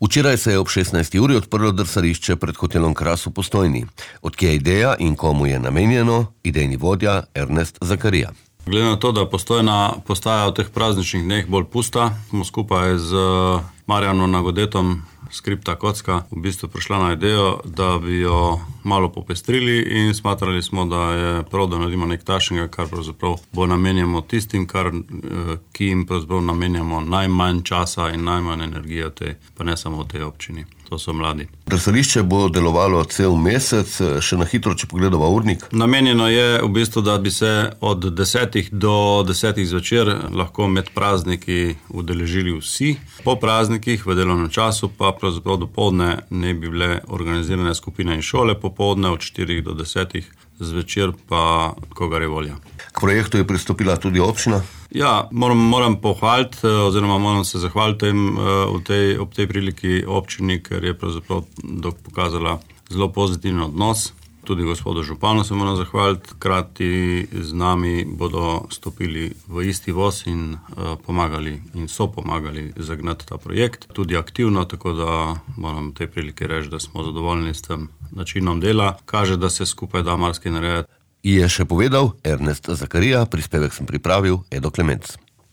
Včeraj se je ob 16. uri odprlo drsališče pred hotelom Kras v Postojni. Odkje je ideja in komu je namenjeno, idejni vodja Ernest Zakarija. Glede na to, da Postojna postaja v teh prazničnih dneh bolj pusta, smo skupaj z Marjanom Nagodetom, Skripta Kocka, v bistvu prišla na idejo, da bi jo malo popestrili in smatrali smo, da je prav, da naredimo nekaj takšnega, kar pravzaprav bo namenjamo tistim, ki jim pravzaprav namenjamo najmanj časa in najmanj energije pa ne samo v tej občini. To so mladi. Drsališče bo delovalo cel mesec, še na hitro, če pogledamo urnik. Namenjeno je v bistvu, da bi se od 10 do 10 zvečer lahko med prazniki udeležili vsi. Po praznikih v delovnem času pa pravzaprav dopoldne ne bi bile organizirane skupine in šole, popoldne od 4 do 10 zvečer pa kogar je volja. K projektu je pristopila tudi občina? Ja, moram pohvaliti oziroma moram se zahvaliti ob tej priliki občini, ker je pravzaprav pokazala zelo pozitiven odnos. Tudi gospodu županu se moram zahvaliti, krati z nami bodo stopili v isti voz in so pomagali zagnati ta projekt. Tudi aktivno, tako da moram v tej priliki reči, da smo zadovoljni s tem načinom dela. Kaže, da se skupaj da marsikaj narediti. Je še povedal Ernest Zakarija, prispevek sem pripravil Edo Klemenc.